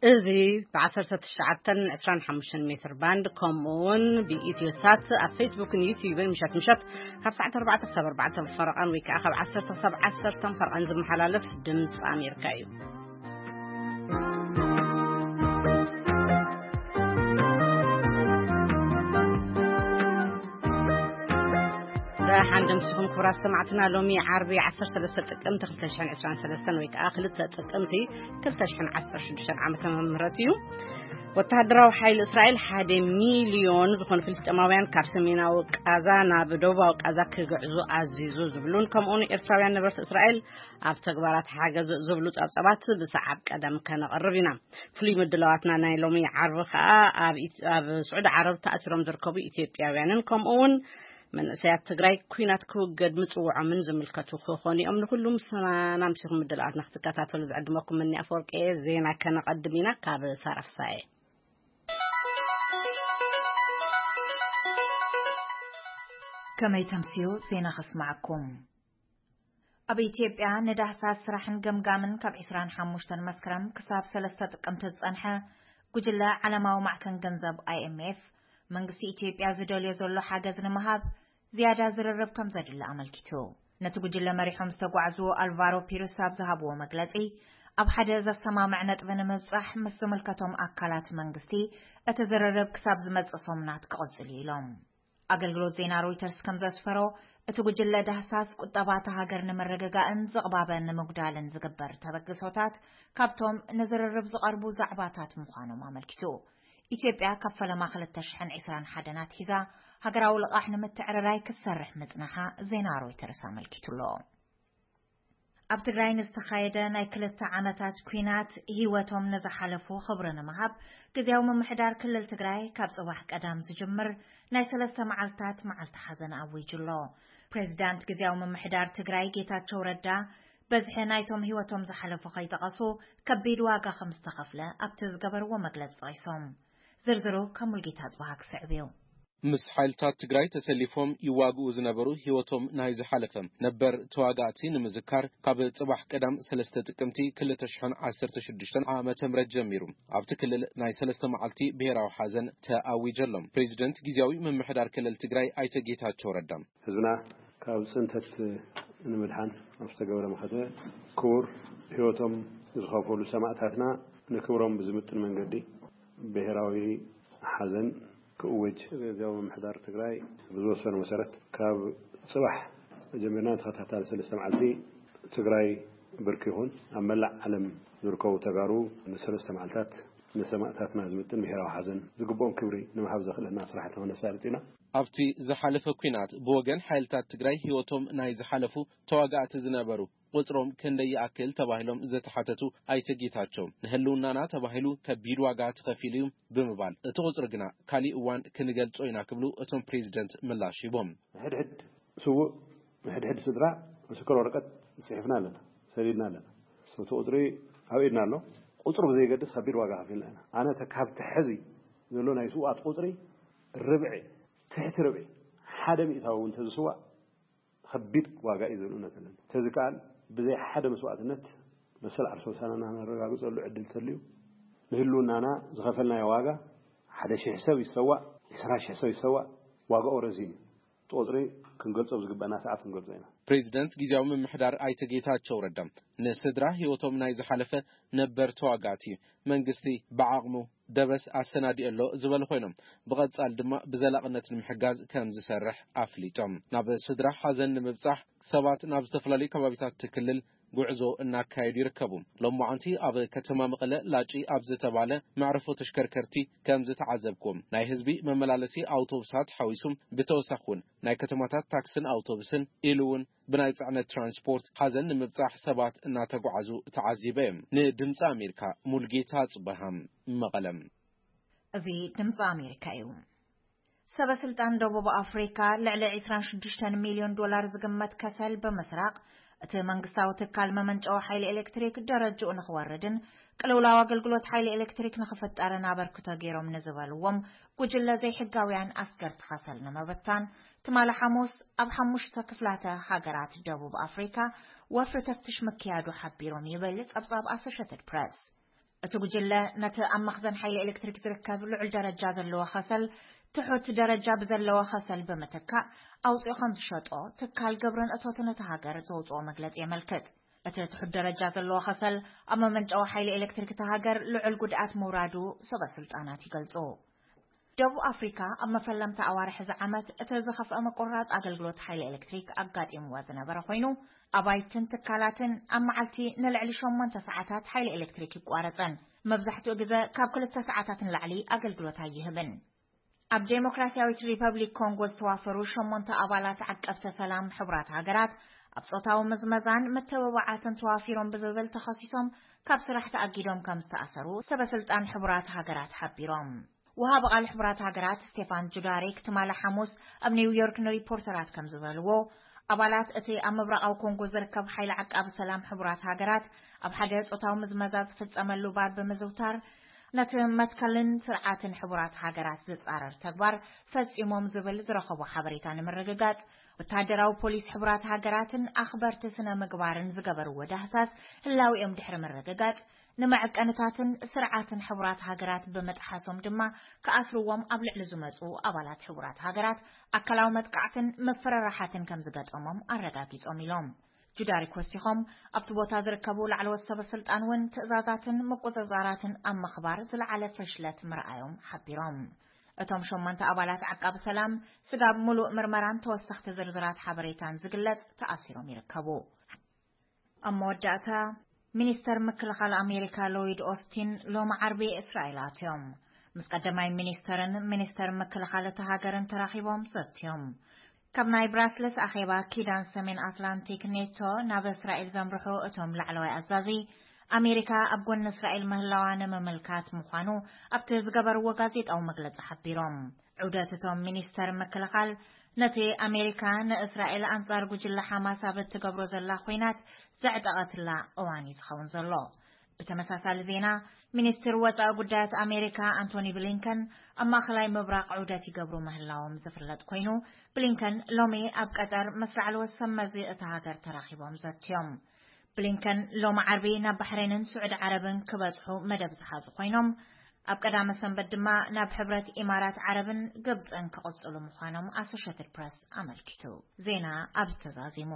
እዚ ብ19 ን25 ሜትር ባንድ፣ ከምኡ እውን ብኢትዮ ሳት ኣብ ፌስቡክን ዩቲዩብን ምሸት ምሸት ካብ ሰዓት 4 ክሳብ 4 ፈረቓን፣ ወይ ከዓ ካብ 10 ክሳብ 10 ፈረቓን ዝመሓላለፍ ድምፂ ኣሜሪካ እዩ። ደሓን ደምሲኹም ክቡራት ሰማዕትና። ሎሚ ዓርቢ 13 ጥቅምቲ 2023 ወይ ከዓ 2 ጥቅምቲ 2016 ዓመተ ምህረት እዩ። ወተሃደራዊ ሓይሊ እስራኤል ሓደ ሚልዮን ዝኾኑ ፍልስጤማውያን ካብ ሰሜናዊ ቃዛ ናብ ደቡባዊ ቃዛ ክግዕዙ ኣዚዙ ዝብሉን፣ ከምኡውን ኤርትራውያን ነበርቲ እስራኤል ኣብ ተግባራት ሓገዝ ዝብሉ ጸብጸባት ብሰዓብ ቀደም ከነቕርብ ኢና። ፍሉይ ምድላዋትና ናይ ሎሚ ዓርቢ ከኣ ኣብ ኢት-፣ ኣብ ስዑዲ ዓረብ ተኣሲሮም ዝርከቡ ኢትዮጵያውያንን ከምኡ እውን መንእሰያት ትግራይ ኲናት ክውገድ ምጽውዖምን ዝምልከቱ ክኾኑ እዮም። ንኹሉ ምስና ኣምሲኹም ምድላዋትና ክትከታተሉ ዝዕድመኩም እኒ ኣፈወርቂ እየ። ዜና ከነቐድም ኢና ካብ ሳራ ፍሳኤ። ከመይ ተምስዩ ዜና ከስማዓኩም። ኣብ ኢትዮጵያ ንዳህሳስ ስራሕን ገምጋምን ካብ 25 መስከረም ክሳብ 3 ጥቅምቲ ዝጸንሐ ጉጅለ ዓለማዊ ማዕከን ገንዘብ፣ ኣይኤምኤፍ፣ መንግስቲ ኢትዮጵያ ዝደልዮ ዘሎ ሓገዝ ንምሃብ ዝያዳ ዝርርብ ከም ዘድሊ ኣመልኪቱ። ነቲ ጉጅለ መሪሖም ዝተጓዕዙ ኣልቫሮ ፒርስ ኣብ ዝሃብዎ መግለጺ፣ ኣብ ሓደ ዘሰማምዕ ነጥቢ ንምብጻሕ ምስ ዝምልከቶም ኣካላት መንግስቲ እቲ ዝርርብ ክሳብ ዝመጽእ ሰሙናት ክቕጽል እዩ ኢሎም። ኣገልግሎት ዜና ሮይተርስ ከም ዘስፈሮ፣ እቲ ጉጅለ ዳህሳስ ቁጠባ እታ ሃገር ንምርግጋእን ዝቕባበ ንምጉዳልን ዝግበር ተበግሶታት ካብቶም ንዝርርብ ዝቐርቡ ዛዕባታት ምዃኖም ኣመልኪቱ። ኢትዮጵያ ካብ ፈለማ 2021 ኣትሒዛ ሃገራዊ ልቓሕ ንምትዕርራይ ክትሰርሕ ምጽናሓ ዜና ሮይተርስ ኣመልኪቱ ኣሎ። ኣብ ትግራይ ንዝተኻየደ ናይ ክልተ ዓመታት ኲናት ህይወቶም ንዝሓለፉ ክብሪ ንምሃብ፣ ግዝያዊ ምምሕዳር ክልል ትግራይ ካብ ጽባሕ ቀዳም ዝጅምር ናይ ሰለስተ መዓልታት መዓልቲ ሓዘን ኣዊጁ ኣሎ። ፕሬዚዳንት ግዝያዊ ምምሕዳር ትግራይ ጌታቸው ረዳ፣ በዝሒ ናይቶም ህይወቶም ዝሓለፉ ከይጠቐሱ፣ ከቢድ ዋጋ ከም ዝተኸፍለ ኣብቲ ዝገበርዎ መግለጺ ጠቒሶም። ዝርዝሩ ካብ ሙልጌታ ጽባሃ ክስዕብ እዩ። ምስ ሓይልታት ትግራይ ተሰሊፎም ይዋግኡ ዝነበሩ ህይወቶም ናይ ዝሓለፈ ነበር ተዋጋእቲ ንምዝካር፣ ካብ ጽባሕ ቀዳም 3 ጥቅምቲ 2016 ዓመተ ምህረት ጀሚሩ ኣብቲ ክልል ናይ ሰለስተ መዓልቲ ብሔራዊ ሓዘን ተኣዊጀሎም። ፕሬዚደንት ግዝያዊ ምምሕዳር ክልል ትግራይ ኣይተ ጌታቸው ረዳ፣ ህዝብና ካብ ጽንተት ንምድሓን ኣብ ዝተገበረ መኸተ፣ ክቡር ህይወቶም ዝኸፈሉ ሰማእታትና ንክብሮም ብዝምጥን መንገዲ ብሔራዊ ሓዘን ክእወጅ፣ ግዝያዊ ምምሕዳር ትግራይ ብዝወሰኖ መሰረት፣ ካብ ጽባሕ ጀሚርና ንተኸታታሊ ሰለስተ መዓልቲ ትግራይ ብርክ ይኹን ኣብ መላእ ዓለም ዝርከቡ ተጋሩ ንሰለስተ መዓልታት ንሰማእታትና ዝምጥን ብሔራዊ ሓዘን ዝግብኦም ክብሪ ንምሃብ ዘኽእለና ስራሕቲ ክነሳልጥ ኢና። ኣብቲ ዝሓለፈ ኲናት ብወገን ሓይልታት ትግራይ ህይወቶም ናይ ዝሓለፉ ተዋጋእቲ ዝነበሩ ቁጽሮም ክንደይ ይኣክል ተባሂሎም ዝተሓተቱ ኣይተ ጌታቸው፣ ንህልውናና ተባሂሉ ከቢድ ዋጋ ተኸፊሉ እዩ ብምባል፣ እቲ ቁጽሪ ግና ካሊእ እዋን ክንገልጾ ኢና ክብሉ እቶም ፕሬዚደንት ምላሽ ሂቦም። ሕድሕድ ስዉእ፣ ሕድሕድ ስድራ ምስክር ወረቀት ጽሒፍና ኣለና፣ ሰዲድና ኣለና። እቲ ቁጽሪ ኣብ ኢድና ኣሎ። ቁጽሩ ብዘይገድስ ከቢድ ዋጋ ከፊልና ኢና። ኣነ ተ-፣ ካብቲ ሕዚ ዘሎ ናይ ስውኣት ቁጽሪ ርብዒ፣ ትሕቲ ርብዒ፣ ሓደ ሚእታዊ እውን ተዝስዋእ ከቢድ ዋጋ እዩ ዝብል እምነት ኣለኒ። ተዝከኣል ብዘይ ሓደ መስዋእትነት መሰል ዓርሰ ውሳነና ነረጋግጸሉ ዕድል ተልዩ፣ ንህልውናና ዝኸፈልናዮ ዋጋ፣ ሓደ ሺሕ ሰብ ይሰዋእ፣ ዕስራ ሺሕ ሰብ ይሰዋእ፣ ዋጋኡ ረዚን እዩ። እቲ ቁጽሪ ክንገልጾ ኣብ ዝግበኣና ሰዓት ክንገልጾ ኢና። ፕሬዚደንት ግዝያዊ ምምሕዳር ኣይተ ጌታቸው ረዳ፣ ንስድራ ህይወቶም ናይ ዝሓለፈ ነበር ተዋጋእቲ መንግስቲ ብዓቕሙ ደበስ ኣሰናዲኡ ኣሎ ዝበሉ ኮይኖም፣ ብቐጻል ድማ ብዘላቕነት ንምሕጋዝ ከም ዝሰርሕ ኣፍሊጦም። ናብ ስድራ ሓዘን ንምብጻሕ ሰባት ናብ ዝተፈላለዩ ከባቢታት እቲ ክልል ጉዕዞ እናካየዱ ይርከቡ። ሎማዓንቲ ኣብ ከተማ መቐለ ላጪ ኣብ ዝተባለ መዕረፎ ተሽከርከርቲ ከም ዝተዓዘብኩም፣ ናይ ህዝቢ መመላለሲ ኣውቶቡሳት ሓዊሱ ብተወሳኺ እውን ናይ ከተማታት ታክስን ኣውቶቡስን ኢሉ እውን ብናይ ጽዕነት ትራንስፖርት ሓዘን ንምብጻሕ ሰባት እናተጓዓዙ ተዓዚበ እዮም። ንድምፂ ኣሜሪካ ሙልጌታ ጽበሃም፣ መቐለም። እዚ ድምፂ ኣሜሪካ እዩ። ሰበ ስልጣን ደቡብ ኣፍሪካ ልዕሊ 26 ሚልዮን ዶላር ዝግመት ከሰል ብምስራቕ፣ እቲ መንግስታዊ ትካል መመንጨዊ ሓይሊ ኤሌክትሪክ ደረጅኡ ንኽወርድን ቅልውላው ኣገልግሎት ሓይሊ ኤሌክትሪክ ንኽፍጠርን ኣበርክቶ ገይሮም ንዝበልዎም ጉጅለ ዘይሕጋውያን ኣስገርቲ ከሰል ንምብታን፣ ትማሊ ሓሙስ ኣብ ሓሙሽተ ክፍላተ ሃገራት ደቡብ ኣፍሪካ ወፍሪ ተፍትሽ ምክያዱ ሓቢሮም፣ ይብል ጸብጻብ ኣሶሼትድ ፕረስ። እቲ ጉጅለ ነቲ ኣብ መኽዘን ሓይሊ ኤሌክትሪክ ዝርከብ ልዑል ደረጃ ዘለዎ ከሰል ትሑት ደረጃ ብዘለዎ ከሰል ብምትካእ ኣውፂኡ ከም ዝሸጦ ትካል ግብርን እቶትን እታ ሃገር ዘውፅኦ መግለፂ የመልክት። እቲ ትሑት ደረጃ ዘለዎ ከሰል ኣብ መመንጨዊ ሓይሊ ኤሌክትሪክ እታ ሃገር ልዑል ጉድኣት ምውራዱ ሰበ ስልጣናት ይገልፁ። ደቡብ ኣፍሪካ ኣብ መፈለምታ ኣዋርሕ እዚ ዓመት እቲ ዝኸፍአ ምቁርራፅ ኣገልግሎት ሓይሊ ኤሌክትሪክ ኣጋጢምዋ ዝነበረ ኮይኑ፣ ኣባይትን ትካላትን ኣብ መዓልቲ ንልዕሊ ሸሞንተ ሰዓታት ሓይሊ ኤሌክትሪክ ይቋረፀን መብዛሕትኡ ግዘ ካብ ክልተ ሰዓታት ንላዕሊ ኣገልግሎት ኣይህብን። ኣብ ዴሞክራሲያዊት ሪፐብሊክ ኮንጎ ዝተዋፈሩ ሸሞንተ ኣባላት ዓቀብተ ሰላም ሕቡራት ሃገራት ኣብ ጾታዊ ምዝመዛን ምትብባዓትን ተዋፊሮም ብዝብል ተኸሲሶም ካብ ስራሕ ተኣጊዶም ከም ዝተኣሰሩ ሰበ ስልጣን ሕቡራት ሃገራት ሓቢሮም። ወሃቢ ቃል ሕቡራት ሃገራት ስቴፋን ጁዳሪክ ትማሊ ሓሙስ ኣብ ኒውዮርክ ንሪፖርተራት ከም ዝበልዎ፣ ኣባላት እቲ ኣብ ምብራቓዊ ኮንጎ ዝርከብ ሓይሊ ዓቃቢ ሰላም ሕቡራት ሃገራት ኣብ ሓደ ጾታዊ ምዝመዛ ዝፍጸመሉ ባር ብምዝውታር ነቲ መትከልን ስርዓትን ሕቡራት ሃገራት ዝጻረር ተግባር ፈጺሞም ዝብል ዝረኸቦ ሓበሬታ ንምርግጋጽ ወታደራዊ ፖሊስ ሕቡራት ሃገራትን ኣኽበርቲ ስነ ምግባርን ዝገበርዎ ዳህሳስ ህላዊኦም ድሕሪ ምርግጋጽ፣ ንመዐቀንታትን ስርዓትን ሕቡራት ሃገራት ብምጥሓሶም ድማ ክኣስርዎም ኣብ ልዕሊ ዝመጹ ኣባላት ሕቡራት ሃገራት ኣካላዊ መጥቃዕትን ምፍርራሓትን ከም ዝገጠሞም ኣረጋጊጾም ኢሎም። ጁዳሪክ ወሲኾም፣ ኣብቲ ቦታ ዝርከቡ ላዕለዎት ሰበ ስልጣን እውን ትእዛዛትን ምቁጽጻራትን ኣብ ምኽባር ዝለዓለ ፈሽለት ምርኣዮም ሓቢሮም። እቶም ሸሞንተ ኣባላት ዓቃቢ ሰላም ስጋብ ሙሉእ ምርመራን ተወሰኽቲ ዝርዝራት ሓበሬታን ዝግለጽ ተኣሲሮም ይርከቡ። ኣብ መወዳእታ፣ ሚኒስተር ምክልኻል ኣሜሪካ ሎይድ ኦስቲን ሎሚ ዓርቢ እስራኤል ኣትዮም። ምስ ቀዳማይ ሚኒስተርን ሚኒስተር ምክልኻል እታ ሃገርን ተራኺቦም ዘትዮም። ካብ ናይ ብራስለስ ኣኼባ ኪዳን ሰሜን ኣትላንቲክ ኔቶ ናብ እስራኤል ዘምርሑ እቶም ላዕለዋይ ኣዛዚ፣ ኣሜሪካ ኣብ ጎኒ እስራኤል ምህላዋ ንምምልካት ምዃኑ ኣብቲ ዝገበርዎ ጋዜጣዊ መግለጺ ሓቢሮም። ዑደት እቶም ሚኒስተር ምክልኻል ነቲ ኣሜሪካ ንእስራኤል ኣንጻር ጉጅለ ሓማስ ኣብ እትገብሮ ዘላ ኲናት ዘዕጠቐትላ እዋን እዩ ዝኸውን ዘሎ። ብተመሳሳሊ ዜና፣ ሚኒስትር ወጻኢ ጉዳያት ኣሜሪካ ኣንቶኒ ብሊንከን ኣብ ማእከላይ ምብራቕ ዑደት ይገብሩ ምህላዎም ዝፍለጥ ኮይኑ፣ ብሊንከን ሎሚ ኣብ ቀጠር ምስ ላዕለዎት ሰብ መዚ እታ ሃገር ተራኺቦም ዘትዮም። ብሊንከን ሎሚ ዓርቢ ናብ ባሕሬንን ስዑዲ ዓረብን ክበጽሑ መደብ ዝሓዙ ኮይኖም፣ ኣብ ቀዳመ ሰንበት ድማ ናብ ሕብረት ኢማራት ዓረብን ግብጽን ክቕጽሉ ምዃኖም ኣሶሼትድ ፕረስ ኣመልኪቱ። ዜና ኣብዚ ተዛዚሙ።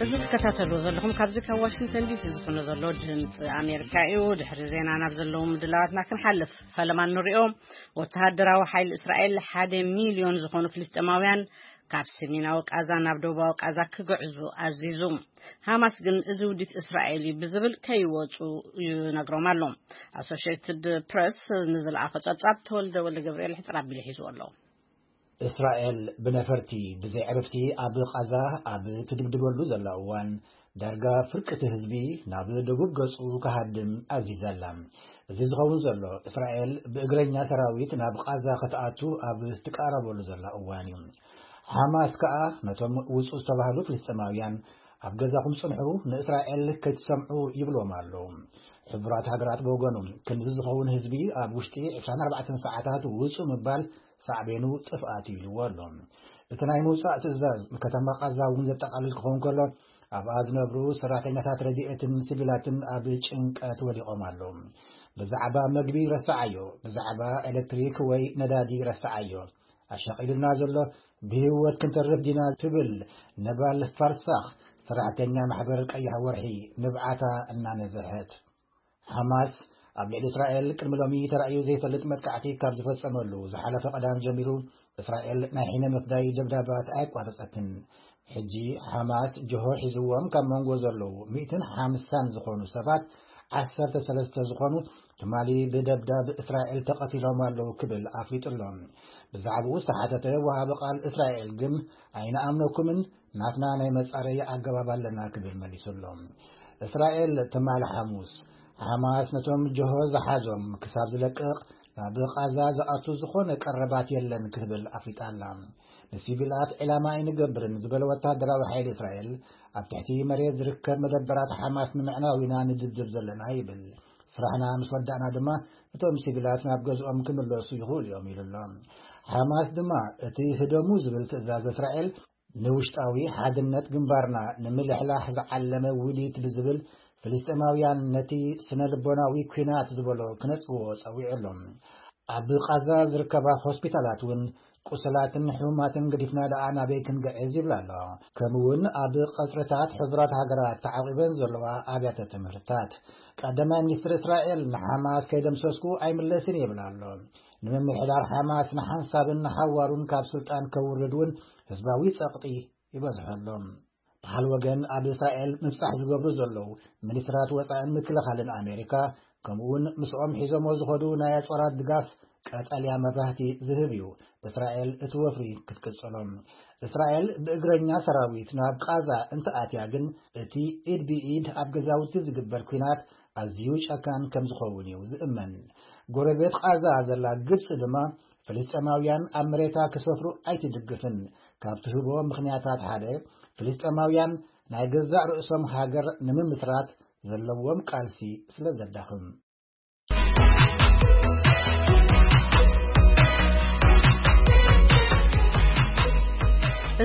እዚ ትከታተልዎ ዘለኹም ካብዚ ካብ ዋሽንግተን ዲሲ ዝፍኖ ዘሎ ድምፂ ኣሜሪካ እዩ። ድሕሪ ዜና ናብ ዘለዉ ምድላዋትና ክንሓልፍ፣ ፈለማ ንሪኦ። ወተሃደራዊ ሓይሊ እስራኤል ሓደ ሚልዮን ዝኾኑ ፍልስጤማውያን ካብ ሰሜናዊ ቃዛ ናብ ደቡባዊ ቃዛ ክግዕዙ ኣዚዙ። ሃማስ ግን እዚ ውዲት እስራኤል እዩ ብዝብል ከይወፁ ይነግሮም ኣሎ። ኣሶሽየትድ ፕረስ ንዝለኣኾ ጸብጻብ ተወልደ ወልደ ገብርኤል ሕጽር ኣቢሉ ሒዝዎ ኣሎ። እስራኤል ብነፈርቲ ብዘይ ዕርፍቲ ኣብ ቃዛ ኣብ ትድብድበሉ ዘላ እዋን፣ ዳርጋ ፍርቂ እቲ ህዝቢ ናብ ደቡብ ገጹ ክሃድም ኣዚዛ ኣላ። እዚ ዝኸውን ዘሎ፣ እስራኤል ብእግረኛ ሰራዊት ናብ ቃዛ ክትኣቱ ኣብ ትቃረበሉ ዘላ እዋን እዩ። ሓማስ ከኣ ነቶም ውጹ ዝተባህሉ ፍልስጤማውያን፣ ኣብ ገዛኹም ጽንሑ፣ ንእስራኤል ከይትሰምዑ ይብልዎም ኣሎ። ሕቡራት ሃገራት ብወገኑ፣ ክንዲ ዝኸውን ህዝቢ ኣብ ውሽጢ ዕስራን ኣርባዕተን ሰዓታት ውጹ ምባል ሳዕቤኑ ጥፍኣት እዩ ኢልዎ ኣሎ። እቲ ናይ ምውጻእ ትእዛዝ ንከተማ ቃዛ እውን ዘጠቓልል ክኸውን ከሎ፣ ኣብኣ ዝነብሩ ሰራሕተኛታት ረድኤትን ሲቪላትን ኣብ ጭንቀት ወዲቖም ኣለዉ። ብዛዕባ መግቢ ረስዓዮ፣ ብዛዕባ ኤሌክትሪክ ወይ ነዳዲ ረስዓዮ። ኣሻቒሉና ዘሎ ብህይወት ክንተርፍ ዲና ትብል ነባል ፋርሳኽ፣ ሰራሕተኛ ማሕበር ቀይሕ ወርሒ፣ ንብዓታ እናነዝሐት። ሓማስ ኣብ ልዕሊ እስራኤል ቅድሚ ሎሚ ተራእዩ ዘይፈልጥ መጥቃዕቲ ካብ ዝፈጸመሉ ዝሓለፈ ቀዳም ጀሚሩ፣ እስራኤል ናይ ሕነ ምፍዳይ ደብዳባት ኣየቋረጸትን። ሕጂ ሓማስ ጅሆ ሒዝዎም ካብ መንጎ ዘለዉ ሚእትን ሓምሳን ዝኾኑ ሰባት፣ ዓሰርተ ሰለስተ ዝኾኑ ትማሊ ብደብዳብ እስራኤል ተቐቲሎም ኣለዉ ክብል ኣፍሊጡ ኣሎ። ብዛዕባኡ ዝተሓተተ ወሃቢ ቃል እስራኤል ግን፣ ኣይንኣምነኩምን፣ ናትና ናይ መጻረዪ ኣገባብ ኣለና ክብል መሊሱ ኣሎ። እስራኤል ትማሊ ሓሙስ፣ ሓማስ ነቶም ጅሆ ዝሓዞም ክሳብ ዝለቅቕ ናብ ቃዛ ዝኣቱ ዝኾነ ቀረባት የለን ክትብል ኣፍሊጣ ኣላ። ንሲቪላት ዒላማ ኣይንገብርን ዝበለ ወታደራዊ ሓይሊ እስራኤል፣ ኣብ ትሕቲ መሬት ዝርከብ መደበራት ሓማስ ንምዕናው ኢና ንድብድብ ዘለና ይብል። ስራሕና ምስ ወዳእና ድማ እቶም ሲቪላት ናብ ገዝኦም ክምለሱ ይኽእሉ እዮም ኢሉ ኣሎ። ሓማስ ድማ እቲ ህደሙ ዝብል ትእዛዝ እስራኤል ንውሽጣዊ ሓድነት ግንባርና ንምልሕላሕ ዝዓለመ ውዲት ብዝብል ፍልስጤማውያን ነቲ ስነ ልቦናዊ ኲናት ዝበሎ ክነጽግዎ ጸዊዑ ኣሎ። ኣብ ቃዛ ዝርከባ ሆስፒታላት እውን ቁስላትን ሕሙማትን ገዲፍና ደኣ ናበይ ክንግዕዝ ይብላ ኣሎ። ከምኡ እውን ኣብ ቀጽርታት ሕቡራት ሃገራት ተዓቂበን ዘለዋ ኣብያተ ትምህርትታት። ቀዳማይ ሚኒስትር እስራኤል ንሓማስ ከይደምሰስኩ ኣይምለስን ይብል ኣሎ። ንምምሕዳር ሓማስ ንሓንሳብን ንሓዋሩን ካብ ስልጣን ከውርድ እውን ህዝባዊ ጸቕጢ ይበዝሖ ኣሎ። ብሓል ወገን ኣብ እስራኤል ምብጻሕ ዝገብሩ ዘለዉ ሚኒስትራት ወጻእን ምክልኻልን ኣሜሪካ ከምኡውን ምስኦም ሒዞሞ ዝኸዱ ናይ ኣጽዋራት ድጋፍ ቀጠልያ መብራህቲ ዝህብ እዩ። እስራኤል እቲ ወፍሪ ክትቅጽሎም። እስራኤል ብእግረኛ ሰራዊት ናብ ቃዛ እንተኣትያ ግን እቲ ኢድ ብኢድ ኣብ ገዛውቲ ዝግበር ኲናት ኣዝዩ ጨካን ከም ዝኸውን እዩ ዝእመን። ጎረቤት ቃዛ ዘላ ግብጺ ድማ ፍልስጤማውያን ኣብ መሬታ ክሰፍሩ ኣይትድግፍን። ካብ ትህቦ ምኽንያታት ሓደ ፍልስጤማውያን ናይ ገዛእ ርእሶም ሃገር ንምምስራት ዘለዎም ቃልሲ ስለ ዘዳኽም።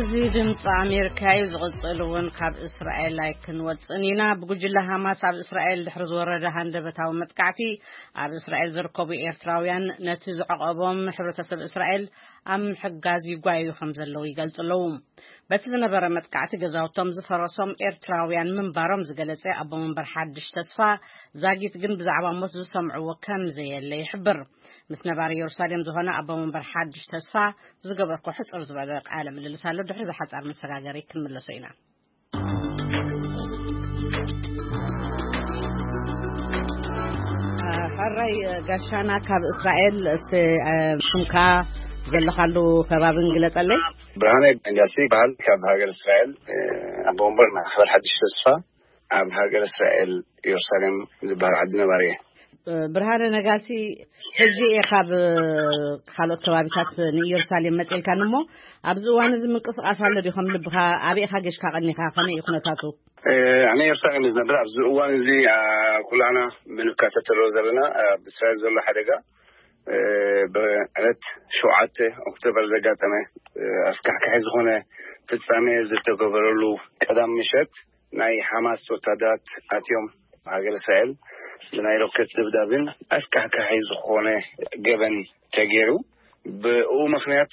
እዚ ድምፂ ኣሜሪካ እዩ። ዝቕፅል እውን ካብ እስራኤል ኣይክንወፅእን ኢና። ብጉጅለ ሃማስ ኣብ እስራኤል ድሕሪ ዝወረደ ሃንደበታዊ መጥቃዕቲ ኣብ እስራኤል ዝርከቡ ኤርትራውያን ነቲ ዝዕቐቦም ሕብረተሰብ እስራኤል ኣብ ምሕጋዝ ይጓየዩ ከም ዘለዉ ይገልፁ ኣለዉ። በቲ ዝነበረ መጥቃዕቲ ገዛውቶም ዝፈረሶም ኤርትራውያን ምንባሮም ዝገለጸ ኣቦ መንበር ሓድሽ ተስፋ ዛጊት ግን ብዛዕባ ሞት ዝሰምዕዎ ከም ዘየለ ይሕብር። ምስ ነባሪ ኢየሩሳሌም ዝኾነ ኣቦ መንበር ሓድሽ ተስፋ ዝገበርኮ ሕጽር ዝበለ ቃለ ምልልስ ኣሎ። ድሕሪ ዝሓጻር መሰጋገሪ ክንምለሶ ኢና። ሕራይ ጋሻና ካብ እስራኤል እስቲ ሽምካ ዘለኻሉ ከባብን ግለጸለይ። ብርሃነ እንዳሲ ይበሃል። ካብ ሃገር እስራኤል ኣቦ ወንበር ማሕበር ሓድሽ ተስፋ ኣብ ሃገር እስራኤል ኢየሩሳሌም ዝበሃል ዓዲ ነባሪ እየ። ብርሃነ ነጋሲ፣ ሕጂ ኢኻ ካብ ካልኦት ከባቢታት ንኢየሩሳሌም መጺእልካን እሞ ኣብዚ እዋን እዚ ምንቅስቓስ ኣሎ ድዩ? ከም ልብኻ ኣበይ ኢኻ ጌሽካ ቀኒኻ? ከመይ እዩ ኩነታቱ? ኣነ ኢየሩሳሌም ዝነብር ኣብዚ እዋን እዚ ኩላና ምንከታተሎ ዘለና ኣብ እስራኤል ዘሎ ሓደጋ ብዕለት ሸውዓተ ኦክቶበር ዘጋጠመ ኣስካሕካሒ ዝኾነ ፍጻሜ ዝተገበረሉ ቀዳም ምሸት ናይ ሓማስ ወታደራት ኣትዮም ሃገር እስራኤል ብናይ ሮኬት ድብዳብን ኣስካሕካሒ ዝኾነ ገበን ተገይሩ። ብኡ ምኽንያት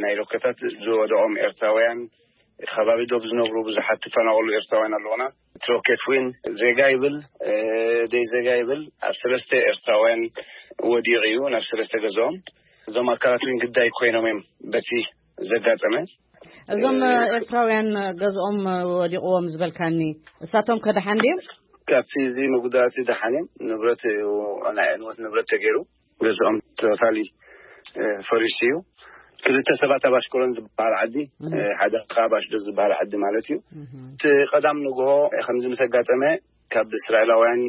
ናይ ሮኬታት ዝወደቖም ኤርትራውያን እቲ ከባቢ ዶብ ዝነብሩ ብዙሓት ዝፈናቐሉ ኤርትራውያን ኣለውና። እቲ ሮኬት እውን ዜጋ ይብል ደይ ዜጋ ይብል ኣብ ሰለስተ ኤርትራውያን ወዲቑ እዩ ናብ ሰለስተ ገዝኦም። እዞም ኣካላት እውን ግዳይ ኮይኖም እዮም በቲ ዘጋጠመ። እዞም ኤርትራውያን ገዝኦም ወዲቕዎም ዝበልካኒ እሳቶም ከደሓን ድዮም? ካብቲ እዚ መጉዳእቲ ደሓን እዮም። ንብረት ናይ ዕንወት ንብረት ተገይሩ ገዝኦም ተታሊ ፈሪሱ እዩ። ክልተ ሰባት ኣብ ኣሽከሮን ዝበሃል ዓዲ ሓደ ከዓ ኣብ ኣሽዶ ዝበሃል ዓዲ ማለት እዩ። እቲ ቀዳም ንግሆ ከምዚ ምስ ኣጋጠመ ካብ እስራኤላውያን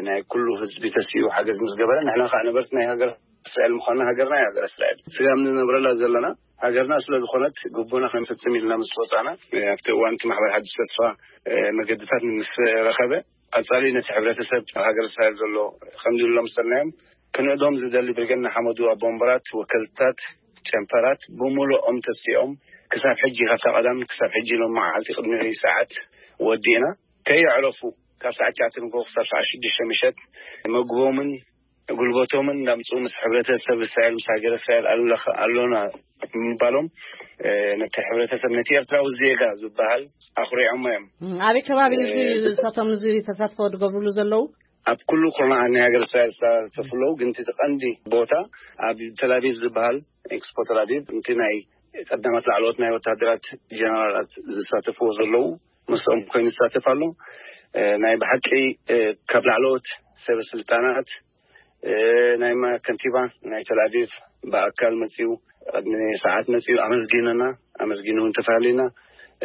ናይ ኩሉ ህዝቢ ተሲኡ ሓገዝ ምስ ገበረ ንሕና ከዓ ነበርቲ ናይ ሃገር እስራኤል ምዃንና ሃገርና እዩ ሃገር እስራኤል ስጋብ ንነብረላ ዘለና ሃገርና ስለ ዝኾነት ግቡና ክንፍጽም ኢልና ምስ ወፃና ኣብቲ እዋን እቲ ማሕበር ሓድሽ ተስፋ መገድታት ምስ ረኸበ ቀጻሊ ነቲ ሕብረተሰብ ኣብ ሃገር እስራኤል ዘሎ ከም ዝብሎም ሰናዮም ክንእዶም ዝደሊ ብርገን ንሓመዱ ኣቦ ወንበራት ወከልታት ጨንፈራት ብምሉኦም ተሲኦም ክሳብ ሕጂ ካብታ ቀዳም ክሳብ ሕጂ ሎም መዓልቲ ቅድሚ ሰዓት ወዲእና ከየዕረፉ ካብ ሰዓት ትሽዓተ ንግሆ ክሳብ ሰዓት ሽዱሽተ ምሸት መግቦምን ጉልበቶምን እንዳምፅኡ ምስ ሕብረተሰብ እስራኤል ምስ ሃገር እስራኤል ኣሎና ምባሎም ነቲ ሕብረተሰብ ነቲ ኤርትራዊ ዜጋ ዝበሃል ኣኹሪዖሞ እዮም። ኣበይ ከባቢ እዚ እሳቶም እዚ ተሳትፎ ዝገብርሉ ዘለዉ? ኣብ ኩሉ ኩርናዓት ናይ ሃገር እስራኤል ዝሳተፉ ኣለዉ፣ ግን እቲ ቀንዲ ቦታ ኣብ ተላቪቭ ዝበሃል ኤክስፖ ተላቪቭ እቲ ናይ ቀዳማት ላዕለዎት ናይ ወታደራት ጀነራላት ዝሳተፍዎ ዘለዉ ምስኦም ኮይኑ ዝሳተፍ ኣሎ። ናይ ብሓቂ ካብ ላዕለዎት ሰበ ስልጣናት ናይ ከንቲባ ናይ ተላቪቭ ብኣካል መፅኡ ቅድሚ ሰዓት መፅኡ ኣመስጊኑና ኣመስጊኑ እውን ተፈላለዩና።